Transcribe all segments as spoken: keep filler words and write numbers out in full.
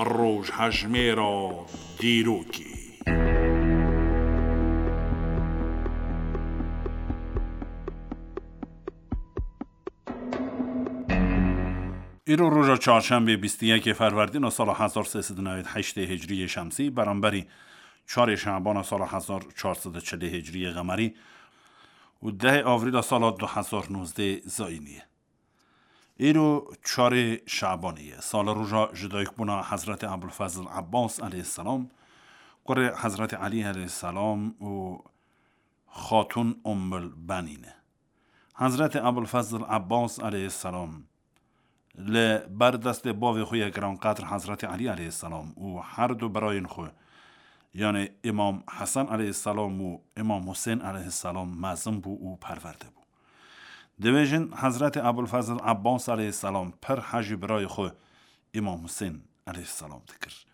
Rojhejmêra dîrokê. Îro roja çarşembê bîst û yekê Ferwerdîna sala hezar sê sed û newêd heştê Hicriyê Şemsî, beramberî çarê Şebana sala hezar çar sed û çilê Hicriyê Qemerî û dehê Avrîla sala du hezar nozdê Zayînî ye. Îro çarê Şebanê ye. Sala roja jidayikbûna Hezretê Ebulfezl Ebbas aleyhisselam, kurê Hezretê Elî aleyhisselam û Xatûn Ummul Benîn e. Hezretê Ebulfezl Ebbas aleyhisselam li ber destê bavê xwe yê giranqedr Hezretê Elî aleyhisselam û her du birayên xwe, yanê Îmam Hesen aleyhisselam û Îmam Husên aleyhisselam mezin bû û perwerde bû. Dibêjin, Hezretê Ebulfezl Ebbas aleyhisselam pir hejî birayê xwe Îmam Husên aleyhisselam dikir.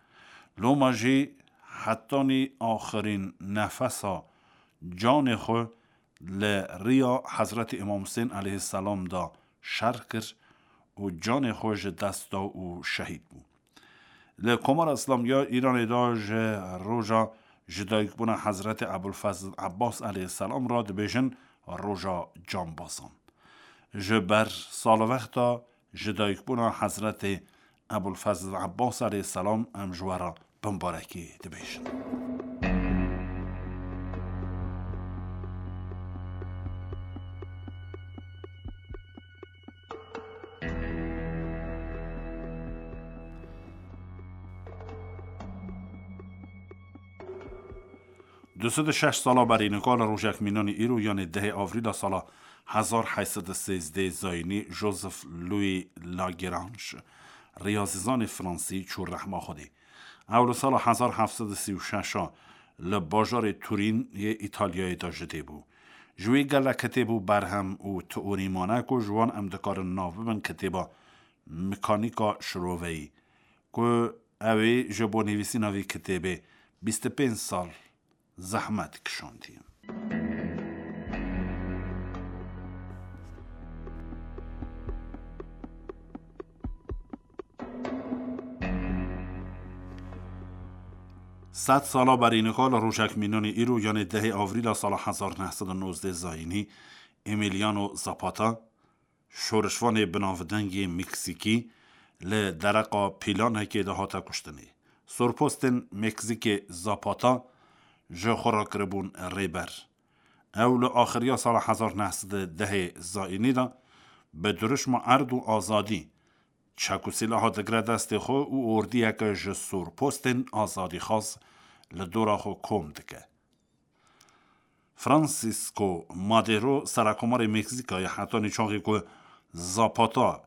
Loma jî hetanî axirîn nefesa canê xwe li riya Hezretê Îmam Husên aleyhisselam da şer kir û canê xwe ji dest da û şehîd bû. Li Komara Îslamî ya Îranê de ji roja jidayikbûna Hezretê Ebulfezl Ebbas aleyhisselam re dibêjin roja cambazan. Ji ber salwexta jidayikbûna Hezretê Ebulfezl Ebbas aleyhisselam em ji we re bimbarekî dibêjin. Du sed û şeş sala berî nika li rojek mînanî îro, yanê dehê Avrîla sala hezar heyt sed û sêzdeh Zayînî, Joseph Louis Lagrange, riyazîzanê fransî, çû rehma Xwedê. Ew li sala hezar heft sed û sî û şeş a li bajarê Turîn yê Îtalyayê de ji dê bû. Ji wî gelek kitêb û berhem û teorî mane ku ji wan em dikarin nav bibin kitêba Mekanîka Şiroveyî, ku ew ê ji bo nivîsîna vî kitêbê bîst û pênc sal zehmet kişandiye. Sed sala berî nika li rojek mînanî îro, yanê dehê Avrîla sala hezar neh sed û nozdeh Zayînî, Emiliano Zapata, şorişvanê binavdengê Meksîkî, li dereqa pîlanekê de hate kuştinê. Sorpostên Meksîkê Zapata ji xwe re kiribûn rêber. Ew li axiriya sala hezar neh sed û dehê Zayînî de bi dirûşma erd û azadî çek û sîlaha digre destê xwe û ordiyeke ji sorpostên azadîxwaz li dora xwe kom dike. Francisco Madero, serekomarê Meksîkayê, hetanî çaxê ku Zapata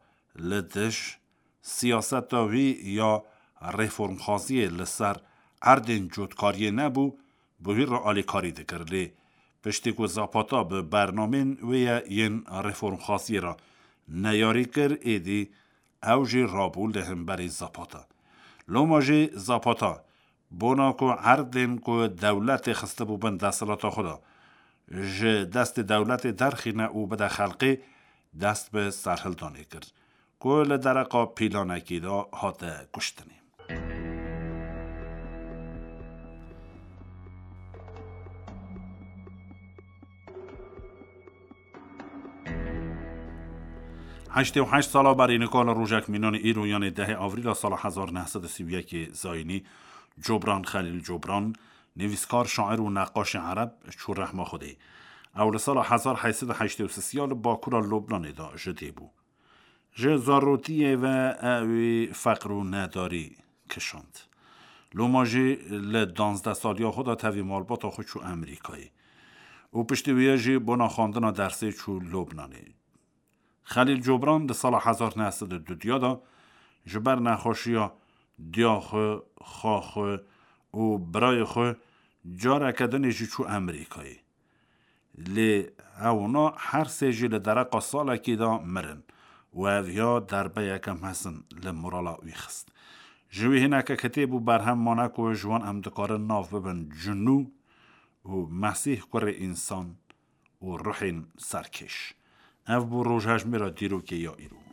li dij siyaseta wî ya reformxwaziyê li ser erdên cotkariyê nebû, bi wî re alîkarî dikir. Lê piştî ku Zapata bi bernamên wê ye yên reformxwaziyê re neyarî kir, êdî ew jî rabû li hemberî Zapata. Loma jî Zapata, bona ku erdên ku dewletê xistibû bin desthilata xwe de, ji destê dewletê derxîne û bide xelkê, dest bi serhildanê kir, ku li dereqa pîlanekî de hate kuştinê. Heştê û heşt sala berî nika li rojek mînanî îro, yanê dehê Avrîla sala hezar neh sed û sî û yekê Zayînî, Cobran Xelîl Cobran, nivîskar, şair û neqaşê ereb, çû rehma Xwedê. Ew li sala hezar heyt sed û heştê û sê ya li bakura Lubnanê de ji dê bû. Ji zarotiyê ve ewî feqr û nedarî kişand. Loma jî li danzdeh saliya xwe de tevî malbata xwe çû Amerîkayê û piştî wî jî bona xwendina dersê çû Lubnanê. Xelîl Cobran di sala hezar neh sed û duduya de ji ber nexweşiya diya xwe, xa xwe û birayê xwe careke dinê jî çû Amerîkayê. Lê ewna her sê jî li dereqa salekî de mirin û ev ya derbeyeke mezin li morala wî xist. Ji wî hineke kitêb û berhem mane ku ji wan em dikarin nav bibin Cunû û Mesîh kurê însan û ruhên serkêş. Ev bû rojhejmêra dîrokê ya îro.